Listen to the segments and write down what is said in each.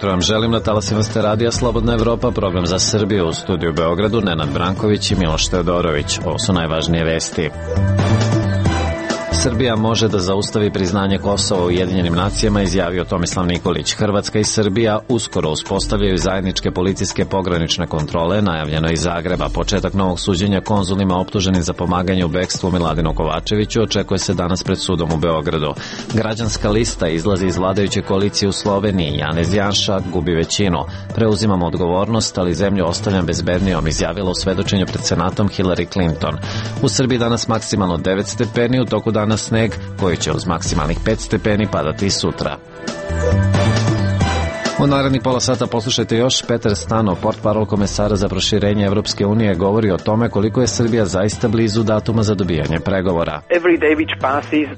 ujutro vam želim na talasima ste radija Slobodna Evropa, program za Srbiju, u studiju Beogradu Nenad Branković i Miloš Teodorović. Ovo su najvažnije vesti. Srbija može da zaustavi priznanje Kosova u Ujedinjenim nacijama, izjavio Tomislav Nikolić. Hrvatska i Srbija uskoro uspostavljaju zajedničke policijske pogranične kontrole, najavljeno iz Zagreba. Početak novog suđenja konzulima optuženim za pomaganje u bekstvu Miladinu Kovačeviću očekuje se danas pred sudom u Beogradu. Građanska lista izlazi iz vladajuće koalicije u Sloveniji. Janez Janša gubi većinu. Preuzimamo odgovornost, ali zemlju ostavljam bezbednijom, izjavila u svedočenju pred Senatom Hillary Clinton. U Srbiji danas maksimalno 9 stepeni, u toku dana sneg koji će uz maksimalnih 5 stepeni padati sutra. U narednih pola sata poslušajte još. Petar Stano, portparol komesara za proširenje Evropske unije, govori o tome koliko je Srbija zaista blizu datuma za dobijanje pregovora.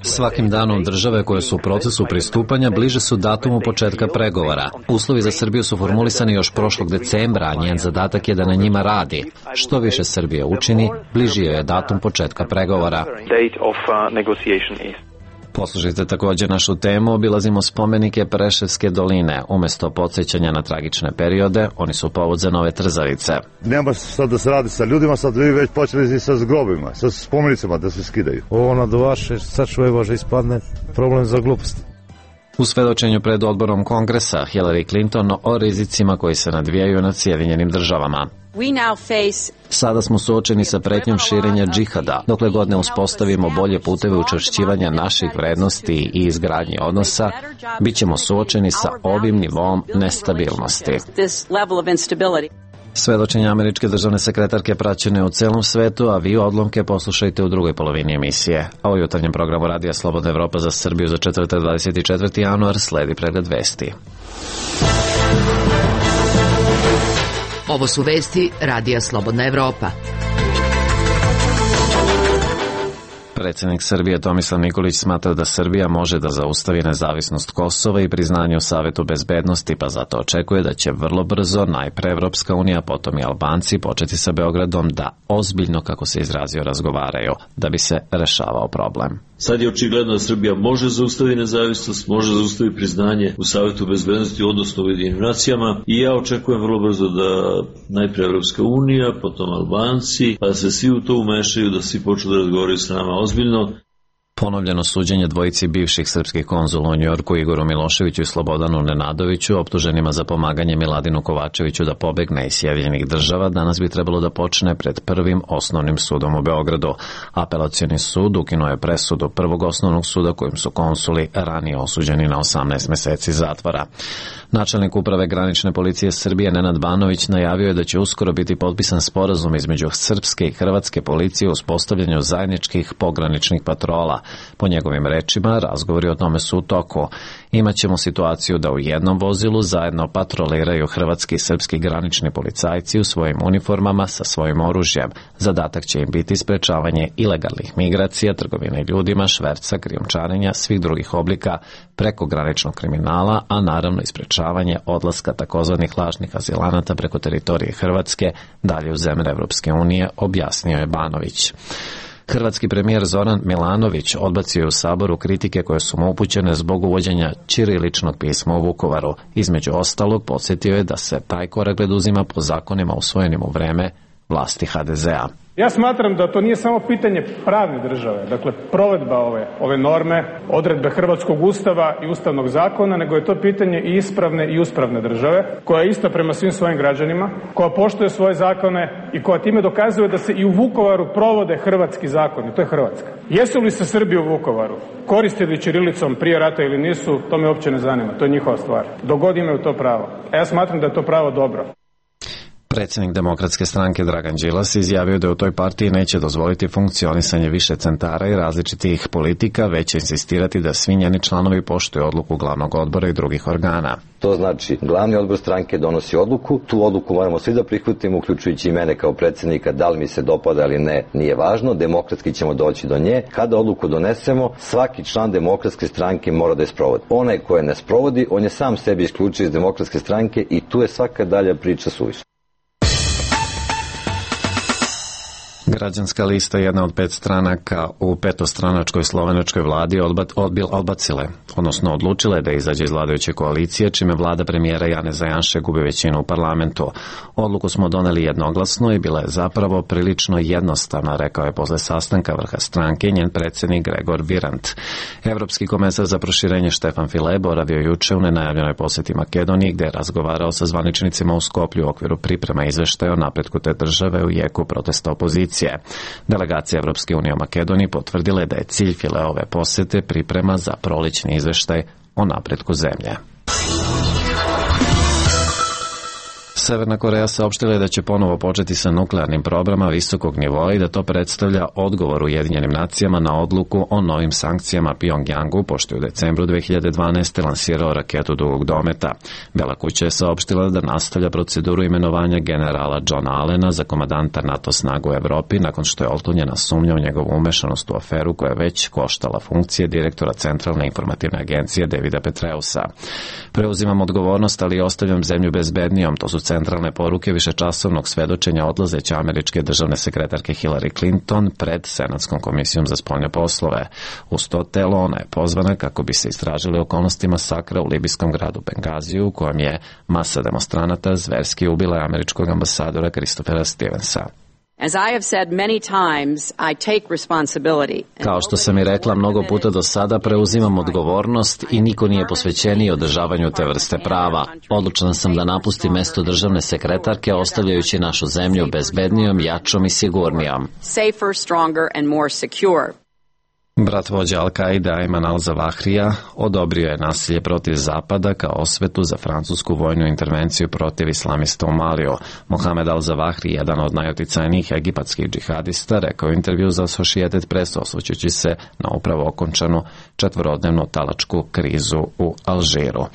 Svakim danom države koje su u procesu pristupanja bliže su datumu početka pregovora. Uslovi za Srbiju su formulisani još prošlog decembra, a njen zadatak je da na njima radi. Što više Srbija učini, bliži je datum početka pregovora. Poslušajte također našu temu, obilazimo spomenike Preševske doline. Umesto podsjećanja na tragične periode, oni su povod za nove trzavice. Nema sad da se radi sa ljudima, sad vi već počeli i sa zgrobima, sa spomenicama da se skidaju. Ovo nadovaše, sad čuje Bože ispadne problem za glupost. U svedočenju pred odborom Kongresa, Hillary Clinton o rizicima koji se nadvijaju nad Sjedinjenim državama. Sada smo suočeni sa pretnjom širenja džihada. Dokle god ne uspostavimo bolje puteve učvršćivanja naših vrednosti i izgradnje odnosa, bit ćemo suočeni sa ovim nivom nestabilnosti. Svedočenje američke državne sekretarke praćene u celom svetu, a vi odlomke poslušajte u drugoj polovini emisije. A u jutarnjem programu Radija Slobodna Evropa za Srbiju za četvrtak 24. januar sledi pregled vesti. Ovo su vesti Radija Slobodna Evropa. Predsjednik Srbije Tomislav Nikolić smatra da Srbija može da zaustavi nezavisnost Kosova i priznanje u Savetu bezbednosti, pa zato očekuje da će vrlo brzo najpre Evropska unija, potom i Albanci početi sa Beogradom da ozbiljno, kako se izrazio, razgovaraju, da bi se rešavao problem. Sad je očigledno da Srbija može zaustaviti nezavisnost, može zaustaviti priznanje u Savetu bezbednosti, odnosno u Ujedinjenim nacijama, i ja očekujem vrlo brzo da najpre Evropska unija, potom Albanci, pa da se svi u to umešaju, da svi počnu da razgovaraju sa nama ozbiljno. Ponovljeno suđenje dvojici bivših srpskih konzula u Njujorku, Igoru Miloševiću i Slobodanu Nenadoviću, optuženima za pomaganje Miladinu Kovačeviću da pobegne iz Sjedinjenih država, danas bi trebalo da počne pred prvim osnovnim sudom u Beogradu. Apelacioni sud ukinuo je presudu prvog osnovnog suda kojim su konsuli ranije osuđeni na 18 meseci zatvora. Načelnik uprave granične policije Srbije Nenad Banović najavio je da će uskoro biti potpisan sporazum između srpske i hrvatske policije u uspostavljanju zajedničkih pograničnih patrola. Po njegovim rečima, razgovori o tome su u toku. Imaćemo situaciju da u jednom vozilu zajedno patroliraju hrvatski i srpski granični policajci u svojim uniformama sa svojim oružjem. Zadatak će im biti sprečavanje ilegalnih migracija, trgovine ljudima, šverca, krijumčarenja, svih drugih oblika prekograničnog kriminala, a naravno i sprečavanje odlaska takozvanih lažnih azilanata preko teritorije Hrvatske dalje u zemlje Evropske unije, objasnio je Banović. Hrvatski premijer Zoran Milanović odbacio je u Saboru kritike koje su mu upućene zbog uvođenja ćiriličnog pisma u Vukovaru. Između ostalog, podsjetio je da se taj korak preduzima po zakonima usvojenim u vreme vlasti HDZ-a. Ja smatram da to nije samo pitanje pravne države, dakle provedba ove norme, odredbe Hrvatskog ustava i ustavnog zakona, nego je to pitanje i ispravne i uspravne države, koja je ista prema svim svojim građanima, koja poštuje svoje zakone i koja time dokazuje da se i u Vukovaru provode hrvatski zakoni, to je Hrvatska. Jesu li se Srbi u Vukovaru koristili ćirilicom prije rata ili nisu, to me uopće ne zanima, to je njihova stvar. Dok god imaju to pravo. A ja smatram da je to pravo dobro. Predsjednik Demokratske stranke Dragan Đilas izjavio da u toj partiji neće dozvoliti funkcionisanje više centara i različitih politika, već će insistirati da svi njeni članovi poštuju odluku glavnog odbora i drugih organa. To znači, glavni odbor stranke donosi odluku, tu odluku moramo svi da prihvatimo, uključujući i mene kao predsjednika, da li mi se dopada ili ne, nije važno, demokratski ćemo doći do nje. Kada odluku donesemo, svaki član Demokratske stranke mora da je sprovodi. Onaj ko je ne sprovodi, on je sam sebi isključio iz Demokratske stranke i tu je svaka dalja priča suvišna. Građanska lista, jedna od 5 stranaka u petostranačkoj slovenačkoj vladi, odlučile da izađe iz vladajuće koalicije, čime vlada premijera Janeza Janše gubi većinu u parlamentu. Odluku smo doneli jednoglasno i bila je zapravo prilično jednostavna, rekao je posle sastanka vrha stranke njen predsjednik Gregor Virant. Evropski komesar za proširenje Štefan File boravio juče u nenajavljenoj posjeti Makedoniji, gde je razgovarao sa zvaničnicima u Skoplju u okviru priprema izveštaja o napretku te države u jeku protesta opozicije. Delegacija Evropske unije u Makedoniji potvrdila je da je cilj Fileove posete priprema za prolećni izveštaj o napretku zemlje. Severna Koreja saopštila je da će ponovo početi sa nuklearnim programom visokog nivoa i da to predstavlja odgovor Ujedinjenim nacijama na odluku o novim sankcijama Pjongjangu, pošto je u decembru 2012. lansirao raketu dugog dometa. Bela kuća je saopštila da nastavlja proceduru imenovanja generala Johna Allena za komandanta NATO snaga u Evropi nakon što je otklonjena sumnja u njegovu umešanost u aferu koja je već koštala funkcije direktora Centralne informativne agencije Davida Petreusa. Preuzimam odgovornost, ali ostavljam zemlju bezbednijom, to su centralne poruke višečasovnog svedočenja odlazeće američke državne sekretarke Hillary Clinton pred Senatskom komisijom za spoljne poslove. Uz to telo ona je pozvana kako bi se istražili okolnosti masakra u libijskom gradu Bengaziju, u kojem je masa demonstranata zverski ubila američkog ambasadora Christophera Stevensa. Kao što sam i rekla mnogo puta do sada, preuzimam odgovornost i niko nije posvećeniji održavanju te vrste prava. Odlučna sam da napustim mesto državne sekretarke, ostavljajući našu zemlju bezbednijom, jačom i sigurnijom. Brat vođa Al-Kaida Ayman al-Zawahrija odobrio je nasilje protiv Zapada kao osvetu za francusku vojnu intervenciju protiv islamista u Maliju. Mohamed al-Zawahri, jedan od najuticajnijih egipatskih džihadista, rekao u intervju za Associated Press osvrćući se na upravo okončanu 4-dnevnu talačku krizu u Alžiru.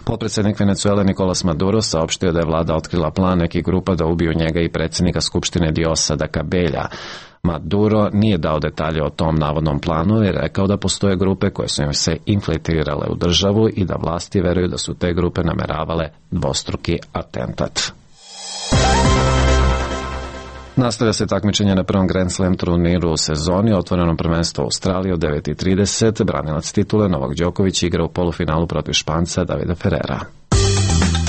Potpredsjednik Venezuele Nicolas Maduro saopštio da je vlada otkrila plan nekih grupa da ubiju njega i predsjednika Skupštine Diosdada Cabelja. Maduro nije dao detalje o tom navodnom planu i rekao da postoje grupe koje su im se infiltrirale u državu i da vlasti veruju da su te grupe nameravale dvostruki atentat. Nastavlja se takmičenje na prvom Grand Slam turniru u sezoni, otvoreno prvenstvo u Australiji od 9:30. Branilac titule Novak Đoković igra u polufinalu protiv Španca Davida Ferrera.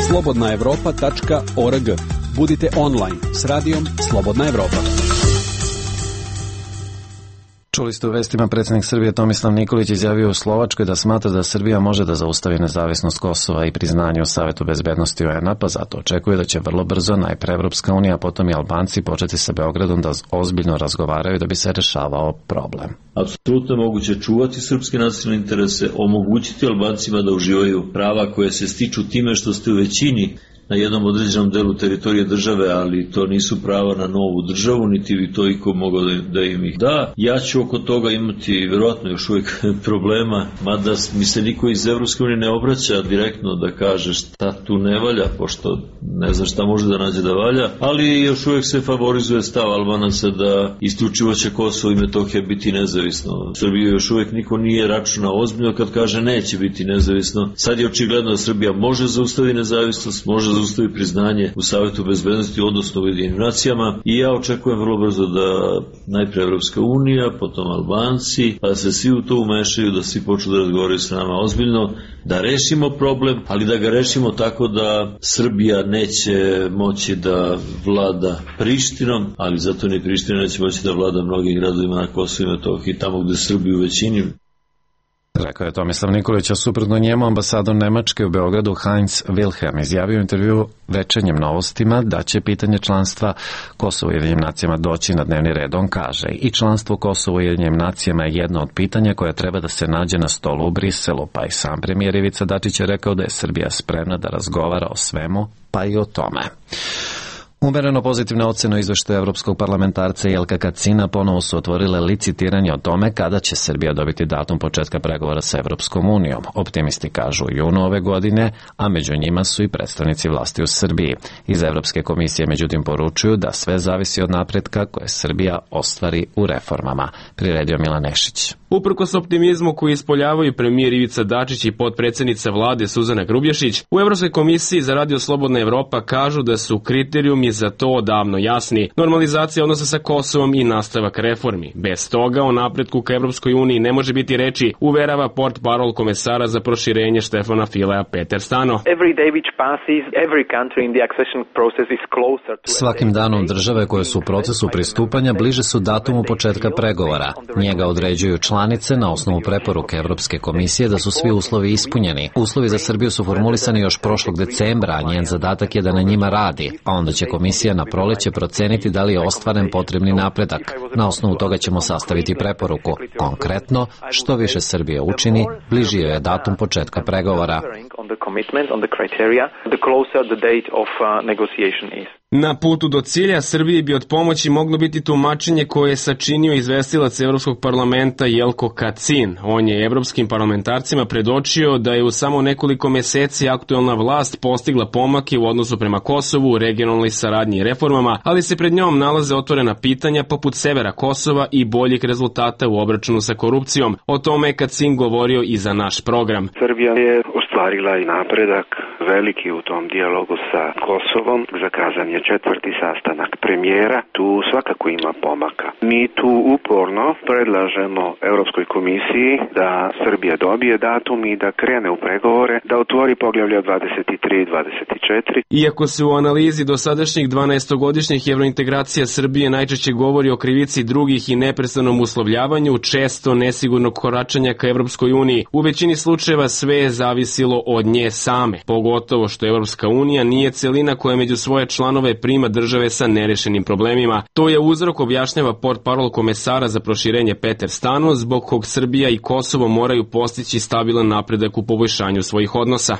slobodnaevropa.org. Budite online s radijom Slobodna Evropa. Čuli ste u vestima, predsjednik Srbije Tomislav Nikolić izjavio u Slovačkoj da smatra da Srbija može da zaustavi nezavisnost Kosova i priznanje u Savetu bezbednosti UN-a, pa zato očekuje da će vrlo brzo najpre Evropska unija, a potom i Albanci početi sa Beogradom da ozbiljno razgovaraju da bi se rešavao problem. Apsolutno je moguće čuvati srpske nacionalne interese, omogućiti Albancima da uživaju prava koje se stiču time što ste u većini na jednom određenom delu teritorije države, ali to nisu prava na novu državu, niti bi to iko mogao da im ih da. Ja ću oko toga imati vjerojatno još uvijek problema, mada mi se niko iz Evropske unije ne obraća direktno da kaže šta tu ne valja, pošto ne zna šta može da nađe da valja, ali još uvijek se favorizuje stav Albanaca da isključivo će Kosovo i Metohija biti nezavisno. U Srbiji još uvijek niko nije računao ozbiljno kad kaže neće biti nezavisno. Sad je očigledno da Srbija može zaustaviti nezavisnost, može zaustavi priznanje u Savetu bezbednosti, odnosno u Ujedinjenim nacijama, i ja očekujem vrlo brzo da najpre Evropska unija, potom Albanci, pa da se svi u to umešaju, da svi počnu da razgovaraju sa nama ozbiljno, da rešimo problem, ali da ga rešimo tako da Srbija neće moći da vlada Prištinom, ali zato ni Priština neće moći da vlada mnogim gradovima na Kosovu i Metohiji, tamo gde Srbiju u većini. Rekao je Tomislav Nikolić, a suprotno njemu ambasador Nemačke u Beogradu Heinz Wilhelm izjavio u intervju Večernjim novostima da će pitanje članstva Kosova u Ujedinjenim nacijama doći na dnevni red. On kaže, i članstvo Kosova u Ujedinjenim nacijama je jedno od pitanja koje treba da se nađe na stolu u Briselu, pa i sam premijer Ivica Dačić je rekao da je Srbija spremna da razgovara o svemu, pa i o tome. Umereno pozitivne ocene izveštaju evropskog parlamentarca Jelka Kacina ponovo su otvorile licitiranje o tome kada će Srbija dobiti datum početka pregovora sa Evropskom unijom. Optimisti kažu u junu ove godine, a među njima su i predstavnici vlasti u Srbiji. Iz Evropske komisije međutim poručuju da sve zavisi od napretka koje Srbija ostvari u reformama. Priredio Milan Nešić. Uprkos optimizmu koji ispoljavaju premijer Ivica Dačić i potpredsjednica vlade Suzana Grubješić, u Evropskoj komisiji za Radio Slobodna Evropa kažu da su kriterijumi Uniji za to odavno jasni. Normalizacija odnosa sa Kosovom i nastavak reformi. Bez toga o napretku ka Evropskoj uniji ne može biti reči, uverava portparol komesara za proširenje Štefana Filea Peter Stano. Svakim danom države koje su u procesu pristupanja bliže su datumu početka pregovora. Njega određuju članice na osnovu preporuke Evropske komisije da su svi uslovi ispunjeni. Uslovi za Srbiju su formulisani još prošlog decembra, a njen zadatak je da na njima radi, a onda će komisija na proleće proceniti da li je ostvaren potrebni napredak. Na osnovu toga ćemo sastaviti preporuku. Konkretno, što više Srbija učini, bliži joj je datum početka pregovora. Na putu do cilja Srbiji bi od pomoći moglo biti tumačenje koje je sačinio izvestilac Evropskog parlamenta Jelko Kacin. On je evropskim parlamentarcima predočio da je u samo nekoliko meseci aktuelna vlast postigla pomake u odnosu prema Kosovu, u regionalnoj saradnji i reformama, ali se pred njom nalaze otvorena pitanja poput severa Kosova i boljih rezultata u obračunu sa korupcijom. O tome je Kacin govorio i za naš program. Srbija je ostvarila i napredak veliki u tom dijalogu sa Kosovom. Zakazan je 4. sastanak premijera. Tu svakako ima pomaka. Mi tu uporno predlažemo Europskoj komisiji da Srbija dobije datum i da krene u pregovore, da otvori poglavlja 23 i 24. Iako se u analizi dosadašnjih 12-godišnjih evrointegracija Srbije najčešće govori o krivici drugih i neprestanom uslovljavanju, često nesigurnog koračanja ka Evropskoj uniji, u većini slučajeva sve je zavisilo od nje same, pogotovo što Evropska unija nije celina koja među svoje članove prima države sa nerešenim problemima. To je uzrok, objašnjava portparol komesara za proširenje Peter Stano, zbog kog Srbija i Kosovo moraju postići stabilan napredak u poboljšanju svojih odnosa.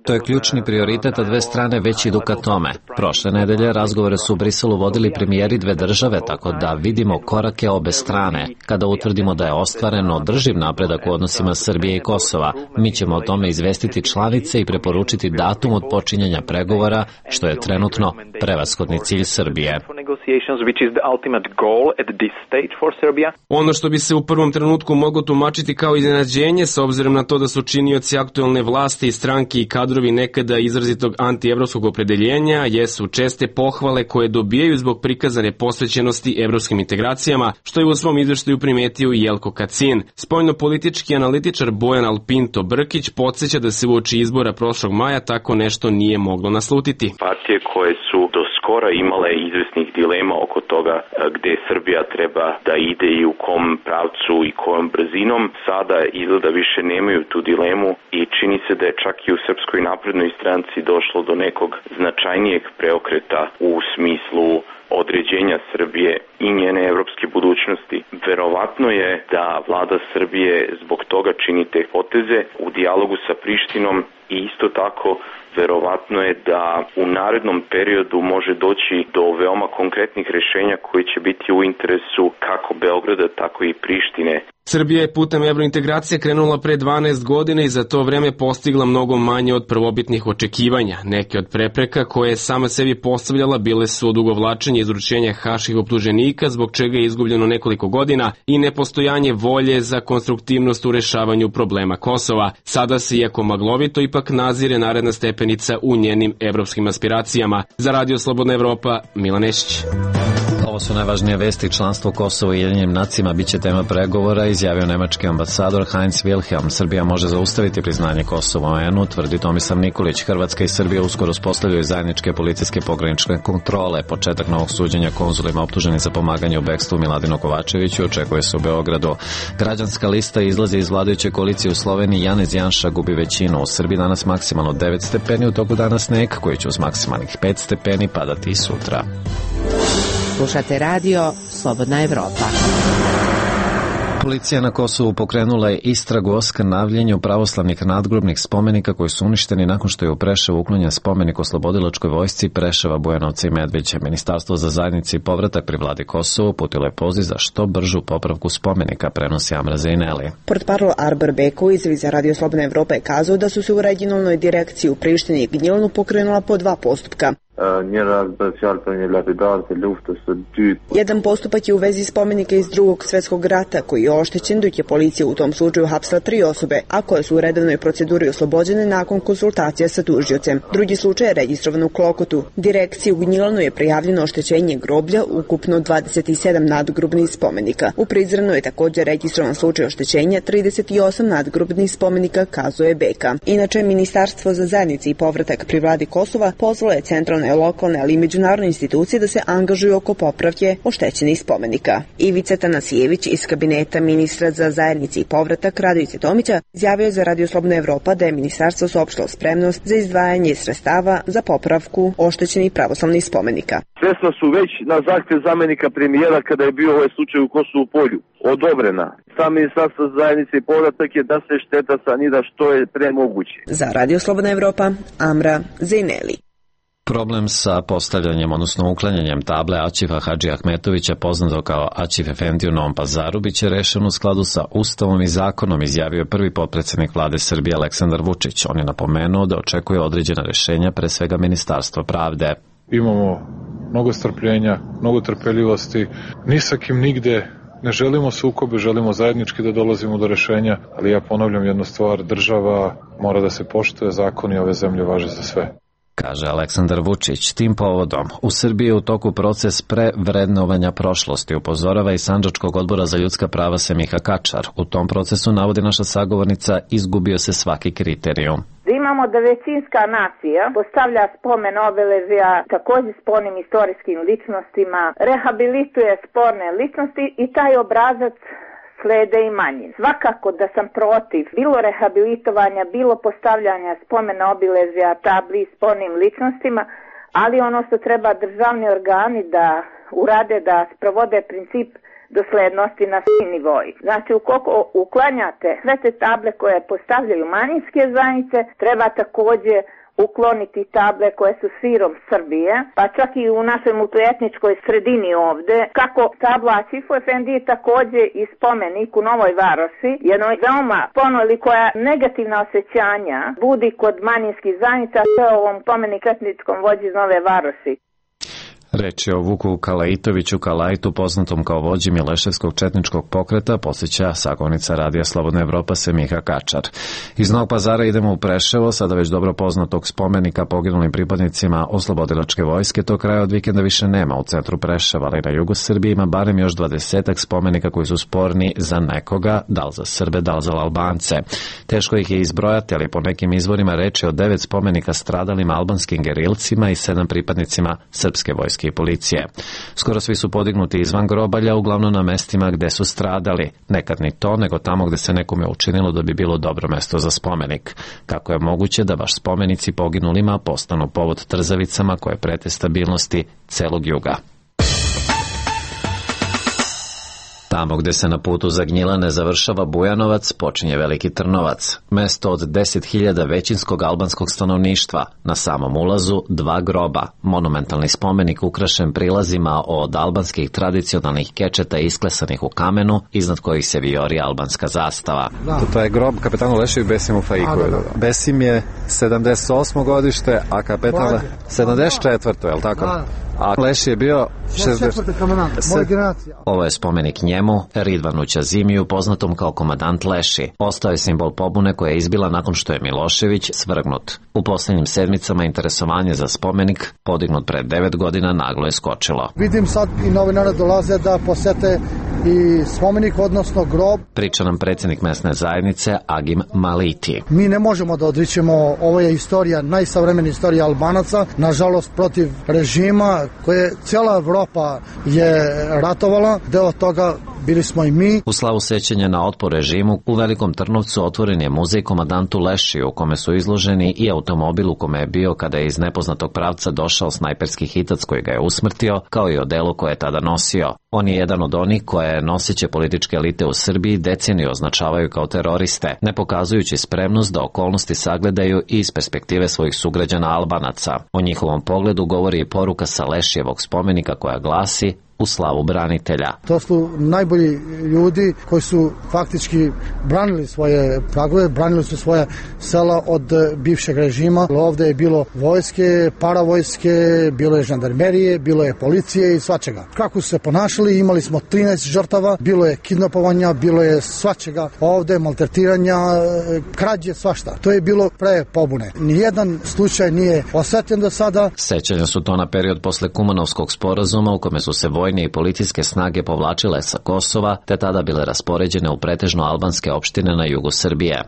To je ključni prioritet, a dve strane već idu ka tome. Prošle nedelje razgovore su u Briselu vodili premijeri dve države, tako da vidimo korake obe strane. Kada utvrdimo da je ostvaren održiv napredak u odnosima Srbije i Kosova, mi ćemo o tome izvestiti članice i preporučiti datum od počinjanja pregovora, što je trenutno prevashodni cilj Srbije. Ono što bi se u prvom trenutku moglo tumačiti kao iznenađenje, s obzirom na to da su činioci aktuelne vlasti i stranke i kadrovi nekada izrazitog antievropskog opredeljenja, jesu česte pohvale koje dobijaju zbog prikazane posvećenosti evropskim integracijama, što je u svom izveštaju primetio i Jelko Kacin. Spoljnopolitički analitičar Bojan Alpinto Brkić podsjeća da se uoči izbora prošlog maja tako nešto nije moglo naslutiti. Partije koje su do skora imale izvesnih dilema oko toga gde Srbija treba da ide i u kom pravcu i kojom brzinom, sada izgleda više nemaju tu dilemu i čini se da je čak i u Srpskoj naprednoj stranci došlo do nekog značajnijeg preokreta u smislu određenja Srbije i njene evropske budućnosti. Verovatno je da vlada Srbije zbog toga čini te poteze u dijalogu sa Prištinom i isto tako verovatno je da u narednom periodu može doći do veoma konkretnih rešenja koji će biti u interesu kako Beograda, tako i Prištine. Srbija je putem evrointegracije krenula pre 12 godina i za to vreme postigla mnogo manje od prvobitnih očekivanja. Neke od prepreka koje je sama sebi postavljala bile su odugovlačenje izručenja haških optuženika, zbog čega je izgubljeno nekoliko godina, i nepostojanje volje za konstruktivnost u rešavanju problema Kosova. Sada se, iako maglovito, ipak nazire naredna stepenica u njenim evropskim aspiracijama. Za Radio Slobodna Evropa, Milan Nešić. Ovo su najvažnije vesti. Članstvo Kosova u Ujedinjenim nacijama biće tema pregovora, izjavio nemački ambasador Heinz Wilhelm. Srbija može zaustaviti priznanje Kosova u UN-u, tvrdi Tomislav Nikolić. Hrvatska i Srbija uskoro uspostavljaju zajedničke policijske pogranične kontrole. Početak novog suđenja konzulima optuženi za pomaganje u bekstvu Miladinu Kovačeviću očekuje se u Beogradu. Građanska lista izlazi iz vladajuće koalicije u Sloveniji. Janez Janša gubi većinu. U Srbiji danas maksimalno 9 stepeni, u toku dana sneg koji će uz maksimalnih 5 stepeni padati i sutra. Slušate radio Slobodna Evropa. Policija na Kosovu pokrenula je istragu o skrnavljenju pravoslavnih nadgrobnih spomenika koji su uništeni nakon što je u Preševu uklonjen spomenik oslobodilačkoj vojsci Preševa, Bujanovca i Medveđe. Ministarstvo za zajednici i povratak pri vladi Kosovo uputilo je poziv za što bržu popravku spomenika, prenosi Amra Zejneli. Portparol Arber Beko izjavi za Radio Slobodna Evropa je kazao da su se u regionalnoj direkciji u Prištini i Gnjilanu pokrenula po 2 postupka. Jedan postupak je u vezi spomenika iz Drugog svjetskog rata koji je oštećen, dok je policija u tom slučaju hapsila 3 osobe, a koje su u redovnoj proceduri oslobođene nakon konsultacija sa tužiocem. Drugi slučaj je registrovan u Klokotu. Direkciji u Gnjilanu je prijavljeno oštećenje groblja, ukupno 27 nadgrobnih spomenika. U Prizrenu je također registrovan slučaj oštećenja 38 nadgrobnih spomenika, kazuje Beka. Inače, Ministarstvo za zajednice i povratak pri vladi Kosova pozvalo je centralne, lokalne, ali i međunarodne institucije da se angažuju oko popravke oštećenih spomenika. Ivica Tanasijević iz kabineta ministra za zajednice i povratak Radojice Tomića izjavio je za Radio Slobodna Evropa da je ministarstvo saopštilo spremnost za izdvajanje sredstava za popravku oštećenih pravoslavnih spomenika. Sredstva su već na zahtjev zamenika premijera kada je bio ovaj slučaj u Kosovu Polju odobrena. Sam ministarstvo za zajednice i povratak je da se šteta sanira što je pre moguće. Za Radio Slobodna Evropa, Amra Zejneli. Problem sa postavljanjem, odnosno uklanjanjem table Aćifa Hadži Ahmetovića, poznato kao Aćif Efendi u Novom Pazaru, biće rešen u skladu sa Ustavom i zakonom, izjavio je prvi potpredsednik vlade Srbije Aleksandar Vučić. On je napomenuo da očekuje određena rešenja, pre svega Ministarstva pravde. Imamo mnogo strpljenja, mnogo trpeljivosti, ni sa kim nigde ne želimo sukobe, želimo zajednički da dolazimo do rešenja, ali ja ponavljam jednu stvar, država mora da se poštuje, zakoni ove zemlje važe za sve. Kaže Aleksandar Vučić. Tim povodom, u Srbiji je u toku proces prevrednovanja prošlosti, upozorava i Sandžačkog odbora za ljudska prava Semiha Kačar. U tom procesu, navodi naša sagovornica, izgubio se svaki kriterijum. Imamo da većinska nacija postavlja spomen obeležja također spornim istorijskim ličnostima, rehabilituje sporne ličnosti i taj obrazac slede i manji. Svakako da sam protiv bilo rehabilitovanja, bilo postavljanja spomena obilježja tabli spornim ličnostima, ali ono što treba državni organi da urade, da sprovode princip doslednosti na svim nivoji. Znači, ukoliko uklanjate sve te table koje postavljaju manjinske zajednice, treba također ukloniti table koje su širom Srbije, pa čak i u našoj multietničkoj sredini ovde, kako tabla Aćifu Efendiji također i spomenik u Novoj Varoši, jednoj veoma ponoli koja negativna osjećanja budi kod manjinskih zajednica, sve ovom spomenik etničkom vođi iz Nove Varoši. Reč je o Vuku Kalaitoviću Kalajtu, poznatom kao vođi Mileševskog četničkog pokreta, posjeća sagovornica Radija Slobodna Evropa Semiha Kačar. Iz Novog Pazara idemo u Preševo, sada već dobro poznatog spomenika poginulim pripadnicima oslobodilačke vojske. To kraja od vikenda više nema u centru Preševa, ali na jugu Srbije ima barem još 20 spomenika koji su sporni za nekoga, da li za Srbe, da li za Albance. Teško ih je izbrojati, ali po nekim izvorima reč je o 9 spomenika stradalim albanskim gerilcima i 7 pripadnicima srpske vojske i policije. Skoro svi su podignuti izvan grobalja, uglavnom na mestima gde su stradali. Nekad ni to, nego tamo gde se nekome učinilo da bi bilo dobro mesto za spomenik. Kako je moguće da baš spomenici poginulima postanu povod trzavicama koje prete stabilnosti celog juga? Tamo gde se na putu za Gnjilane završava Bujanovac, počinje Veliki Trnovac, mesto od 10.000 većinskog albanskog stanovništva. Na samom ulazu 2 groba, monumentalni spomenik ukrašen prilazima od albanskih tradicionalnih kečeta isklesanih u kamenu, iznad kojih se vijori albanska zastava. To je grob kapetanu Lešiju Besimu Faiku. Besim je 78. godište, a kapetan 74. je li tako? A Leši je bio 60. Ovo je spomenik njemu, Ridvanu Ćazimiju, poznatom kao komandant Leši. Ostao je simbol pobune koja je izbila nakon što je Milošević svrgnut. U posljednjim sedmicama interesovanje za spomenik, podignut pre 9 godina, naglo je skočilo. Vidim sad i novinara dolaze da posete i spomenik, odnosno grob. Priča nam predsjednik mesne zajednice Agim Maliti. Mi ne možemo da odričemo, ovo je istorija, najsavremenija istorija Albanaca, nažalost protiv režima koje cijela Evropa je ratovala, deo toga bili smo i mi. U slavu sećanja na otpor režimu, u Velikom Trnovcu otvoren je muzej komandantu Lešiju, u kome su izloženi i automobil u kome je bio kada je iz nepoznatog pravca došao snajperski hitac koji ga je usmrtio, kao i odelo koje je tada nosio. On je jedan od onih koje noseće političke elite u Srbiji deceniju označavaju kao teroriste, ne pokazujući spremnost da okolnosti sagledaju i iz perspektive svojih sugrađana Albanaca. O njihovom pogledu govori i poruka sa Lešijevog spomenika koja glasi: u slavu branitelja. To su najbolji ljudi koji su faktički branili svoje pragove, branili su svoje sela od bivšeg režima. Ovde je bilo vojske, paravojske, bilo je žandarmerije, bilo je policije i svačega. Kako su se ponašali, imali smo 13 žrtava, bilo je kidnapovanja, bilo je svačega ovde, maltretiranja, krađe, svašta. To je bilo pre pobune. Nijedan slučaj nije osvetljen do sada. Sećanja su to na period posle Kumanovskog sporazuma u kome su se vojne i policijske snage povlačile sa Kosova, te tada bile raspoređene u pretežno albanske opštine na jugu Srbije.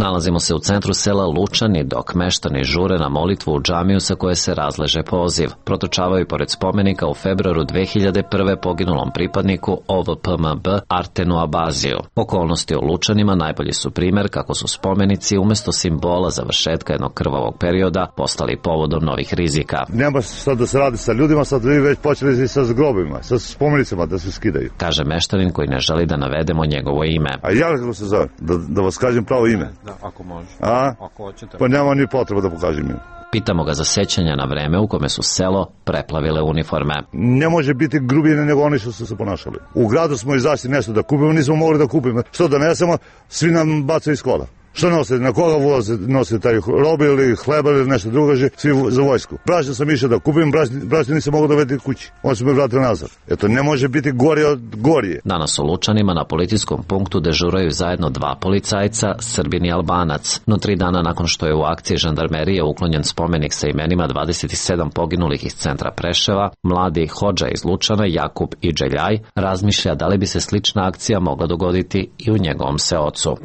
Nalazimo se u centru sela Lučani, dok meštani žure na molitvu u džamiju sa koje se razleže poziv. Protočavaju pored spomenika u februaru 2001. poginulom pripadniku OVPMB Artenu Abaziju. Okolnosti u Lučanima najbolji su primer kako su spomenici umjesto simbola završetka jednog krvavog perioda postali povodom novih rizika. Nema sad da se radi sa ljudima, sad vi već počeli i sa grobima, sa spomenicama da se skidaju. Kaže meštanin koji ne želi da navedemo njegovo ime. A ja kako se zove? Da vas kažem pravo ime. Da, ako može. Ako hoćete. Pa nema ni potreba da pokažem ime. Pitamo ga za sećanja na vreme u kome su selo preplavile uniforme. Ne može biti grubije nego oni što su se ponašali. U gradu smo izašli nešto da kupimo, nismo mogli da kupimo. Što donesemo, svi nam bacaju iz kola. Što nose? Na koga voze? Nose taj robe ili hleba ili nešto drugo, svi za vojsku. Brašno sam išao da kupim, brašno nisam mogao dovesti kući. On se me vratio nazad. Eto, ne može biti gore od gorije. Danas u Lučanima na policijskom punktu dežuraju zajedno 2 policajca, Srbin i Albanac. No 3 dana nakon što je u akciji žandarmerije uklonjen spomenik sa imenima 27 poginulih iz centra Preševa, mladi hodža iz Lučana, Jakub i Dželjaj, razmišlja da li bi se slična akcija mogla dogoditi i u njegovom seocu.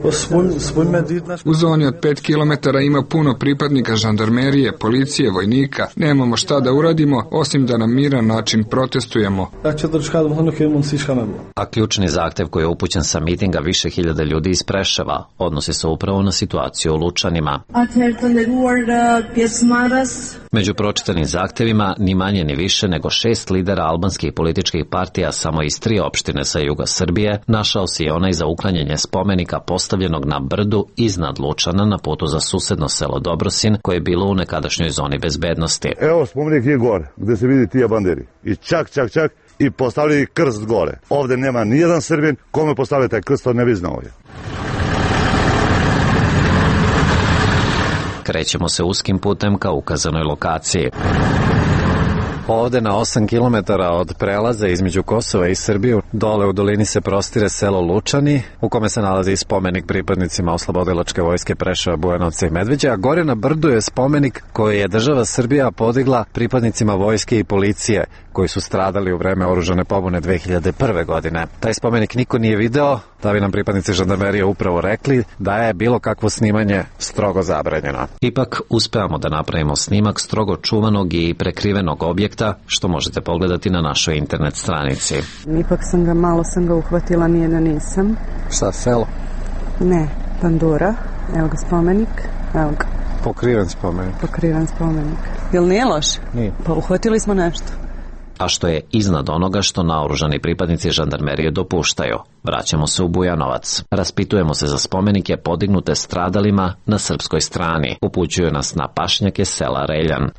U zoni od 5 km ima puno pripadnika žandarmerije, policije, vojnika. Nemamo šta da uradimo, osim da na miran način protestujemo. A ključni zahtev koji je upućen sa mitinga više hiljada ljudi iz Preševa odnosi se upravo na situaciju u Lučanima. Među pročitanim zahtevima ni manje ni više nego 6 lidera albanskih političkih partija samo iz 3 opštine sa juga Srbije našao se i onaj za uklanjanje spomenika postavljenog na brdu iznad Lučana na putu za susedno selo Dobrosin koje je bilo u nekadašnjoj zoni bezbednosti. Evo spomenik je gore gde se vidi tija banderi i čak i postavili krst gore. Ovde nema nijedan Srbin, kome postavlja taj krst, to ne bi znao je. Krećemo se uskim putem ka ukazanoj lokaciji. Ovde na 8 km od prelaza između Kosova i Srbiju, dole u dolini se prostire selo Lučani, u kome se nalazi spomenik pripadnicima oslobodilačke vojske Preševa, Bujanovca i Medveđe, a gore na brdu je spomenik koji je država Srbija podigla pripadnicima vojske i policije koji su stradali u vreme oružane pobune 2001. godine. Taj spomenik niko nije video, da bi nam pripadnici žandarmerije upravo rekli da je bilo kakvo snimanje strogo zabranjeno. Ipak uspevamo da napravimo snimak strogo čuvanog i prekrivenog objekta, što možete pogledati na našoj internet stranici. Ipak malo sam ga uhvatila, nije da nisam. Šta, selo? Ne, Pandura. Evo ga spomenik, evo ga. Pokriven spomenik. Jel nije loš? Nije. Pa uhvatili smo nešto. A što je iznad onoga što naoružani pripadnici žandarmerije dopuštaju. Vraćamo se u Bujanovac. Raspitujemo se za spomenike podignute stradalima na srpskoj strani. Upućuju nas na pašnjake sela Reljan.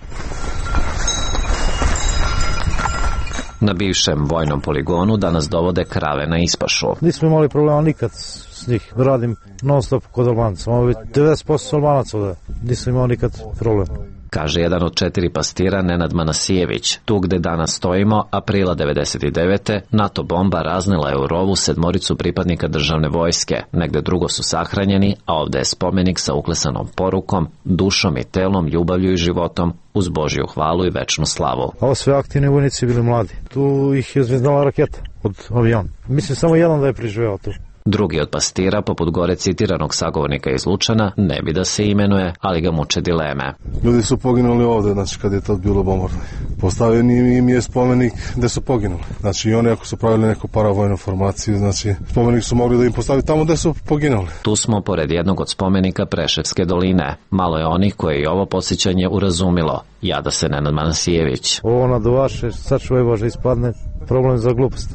Na bivšem vojnom poligonu danas dovode krave na ispašu. Nismo imali problema nikad s njih. Radim non stop kod Albanaca. Imamo 90% Albanaca ovde. Nismo imali nikad problem. Kaže jedan od 4 pastira Nenad Manasijević. Tu gde danas stojimo, aprila 99. NATO bomba raznela je u rovu 7 pripadnika državne vojske. Negde drugo su sahranjeni, a ovde je spomenik sa uklesanom porukom, dušom i telom, ljubavlju i životom, uz Božju hvalu i večnu slavu. Ovo sve aktivni vojnici bili mladi. Tu ih je zvezdala raketa od aviona. Mislim samo jedan da je preživeo tu. Drugi od pastira, poput gore citiranog sagovornika iz Lučana, ne bi da se imenuje, ali ga muče dileme. Ljudi su poginuli ovde, znači kad je to bilo bombardovanje. Postavljen im je spomenik gde su poginuli. Znači i oni ako su pravili neku paravojnu formaciju, znači spomenik su mogli da im postavi tamo gde su poginuli. Tu smo pored jednog od spomenika Preševske doline. Malo je onih koje i ovo podsjećanje urazumilo. Jada se Nenad Manasijević. Ovo naduvaše, sačuvaj Bože, ispadne problem za glupost.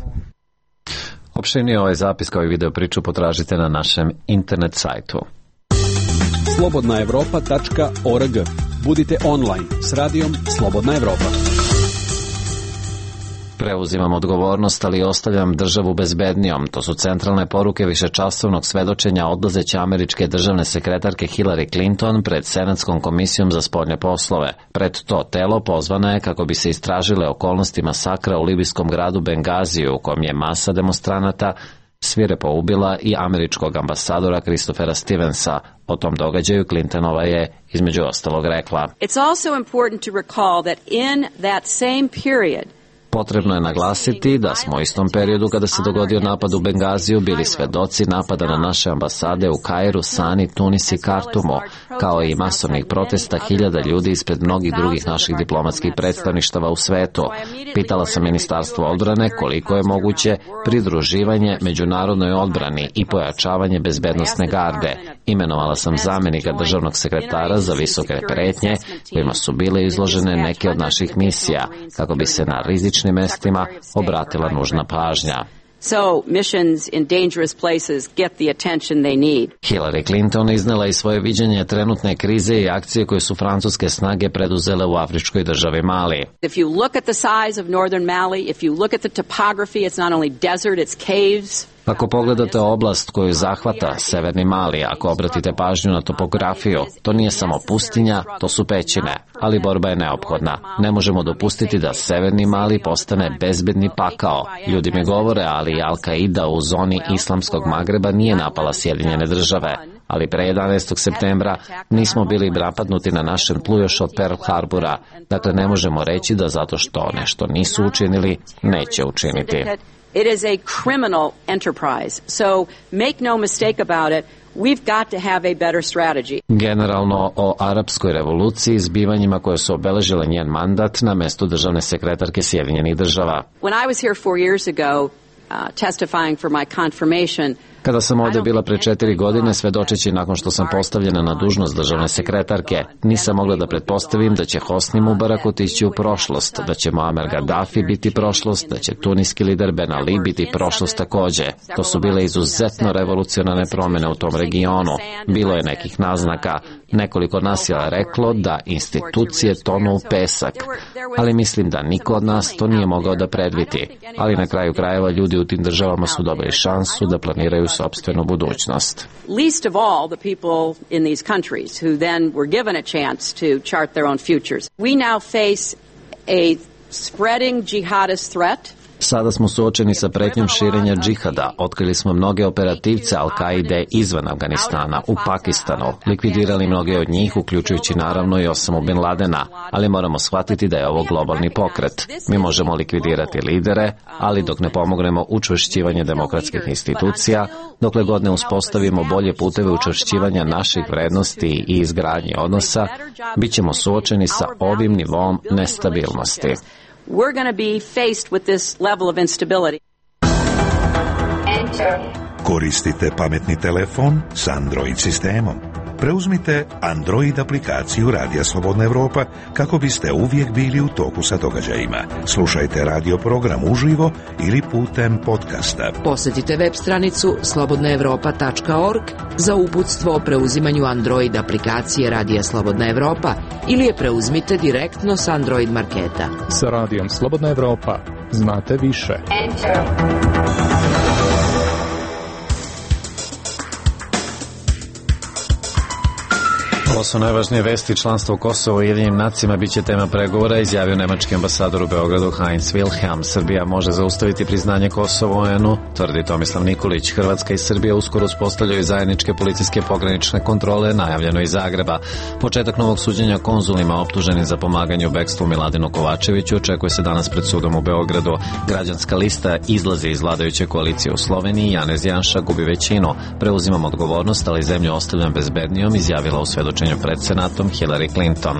Opširnije ovaj zapis kao i video priču potražite na našem internet sajtu. slobodnaevropa.org. Budite online s radijom Slobodna Evropa. Preuzimam odgovornost, ali ostavljam državu bezbednijom. To su centralne poruke višečasovnog svedočenja odlazeće američke državne sekretarke Hillary Clinton pred Senatskom komisijom za spoljne poslove. Pred to telo pozvana je kako bi se istražile okolnosti masakra u libijskom gradu Bengaziju, u kom je masa demonstranata svirepo ubila i američkog ambasadora Christophera Stevensa. O tom događaju Clintonova je između ostalog rekla: It's also important to recall that in that same period potrebno je naglasiti da smo u istom periodu kada se dogodio napad u Bengaziju bili svedoci napada na naše ambasade u Kairu, Sani, Tunis i Kartumu, kao i masovnih protesta hiljada ljudi ispred mnogih drugih naših diplomatskih predstavništava u svetu. Pitala sam Ministarstvo odbrane koliko je moguće pridruživanje međunarodnoj odbrani i pojačavanje bezbednosne garde. Imenovala sam zamenika državnog sekretara za visoke pretnje kojima su bile izložene neke od naših misija, kako bi se na rizičnim mestima obratila nužna pažnja. So missions in dangerous places get the attention they need. Hillary Clinton iznela i svoje viđenje trenutne krize i akcije koje su francuske snage preduzele u afričkoj državi Mali. If you look at the size of northern Mali, if you look at the topography, it's not only desert, it's caves. Ako pogledate oblast koju zahvata severni Mali, ako obratite pažnju na topografiju, to nije samo pustinja, to su pećine, ali borba je neophodna. Ne možemo dopustiti da severni Mali postane bezbedni pakao. Ljudi mi govore, ali Al-Qaida u zoni islamskog Magreba nije napala Sjedinjene države, ali pre 11. septembra nismo bili napadnuti na našem tlu još od Pearl Harbora. Dakle, ne možemo reći da zato što nešto nisu učinili, neće učiniti. It is a criminal enterprise. So make no mistake about it. We've got to have a better strategy. Generalno o arapskoj revoluciji i zbivanjima koje su obeležile njen mandat na mestu državne sekretarke Sjedinjenih država. When I was here 4 years ago, testifying for my confirmation, kada sam ovde bila pre 4 godine, svedočeći nakon što sam postavljena na dužnost državne sekretarke, nisam mogla da pretpostavim da će Hosni Mubarak otići u prošlost, da će Muammar Gaddafi biti prošlost, da će tuniski lider Ben Ali biti prošlost takođe. To su bile izuzetno revolucionarne promene u tom regionu. Bilo je nekih naznaka. Nekoliko nas je reklo da institucije tonu u pesak, ali mislim da niko od nas to nije mogao da predvidi. Ali na kraju krajeva ljudi u tim državama su dobili šansu da planiraju sopstvenu budućnost. Least of all the people in these countries who then were given a chance to chart their own futures. We now face a spreading jihadist threat. Sada smo suočeni sa pretnjom širenja džihada. Otkrili smo mnoge operativce Al-Kaide izvan Afganistana, u Pakistanu. Likvidirali mnoge od njih, uključujući naravno i Osamu Bin Ladena. Ali moramo shvatiti da je ovo globalni pokret. Mi možemo likvidirati lidere, ali dok ne pomognemo učvršćivanje demokratskih institucija, dokle god ne uspostavimo bolje puteve učvršćivanja naših vrednosti i izgradnje odnosa, bit ćemo suočeni sa ovim nivom nestabilnosti. We're going to be faced with this level of instability. Koristite pametni telefon s Android sistemom. Preuzmite Android aplikaciju Radija Slobodna Evropa kako biste uvijek bili u toku sa događajima. Slušajte radio program uživo ili putem podcasta. Posjetite web stranicu slobodnaevropa.org za uputstvo o preuzimanju Android aplikacije Radija Slobodna Evropa ili je preuzmite direktno s Android marketa. Sa Radijom Slobodna Evropa znate više. Ovo su najvažnije vesti. Članstvo Kosova u Ujedinjenim nacijama biće tema pregovora, izjavio nemački ambasador u Beogradu Heinz Wilhelm. Srbija može zaustaviti priznanje Kosova u UN-u, tvrdi Tomislav Nikolić. Hrvatska i Srbija uskoro uspostavljaju zajedničke policijske pogranične kontrole, najavljeno iz Zagreba. Početak novog suđenja konzulima optuženih za pomaganje u bekstvu Miladinu Kovačeviću očekuje se danas pred sudom u Beogradu. Građanska lista izlazi iz vladajuće koalicije u Sloveniji. Janez Janša gubi većinu. Preuzimam odgovornost, ali zemlju ostavljam bezbednijom, izjavila u svedočenju pred Senatom Hillary Clinton.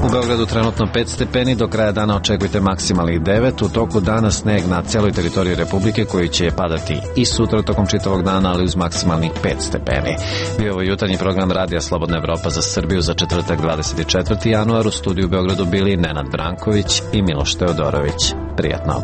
U Beogradu trenutno 5 stepeni, do kraja dana očekujte maksimalnih 9. U toku dana sneg na celoj teritoriji Republike koji će padati i sutra tokom čitavog dana, ali uz maksimalnih 5 stepeni. Bio ovo jutarnji program Radija Slobodna Evropa za Srbiju za četvrtak 24. januar. U studiju u Beogradu bili Nenad Branković i Miloš Teodorović. Prijatno.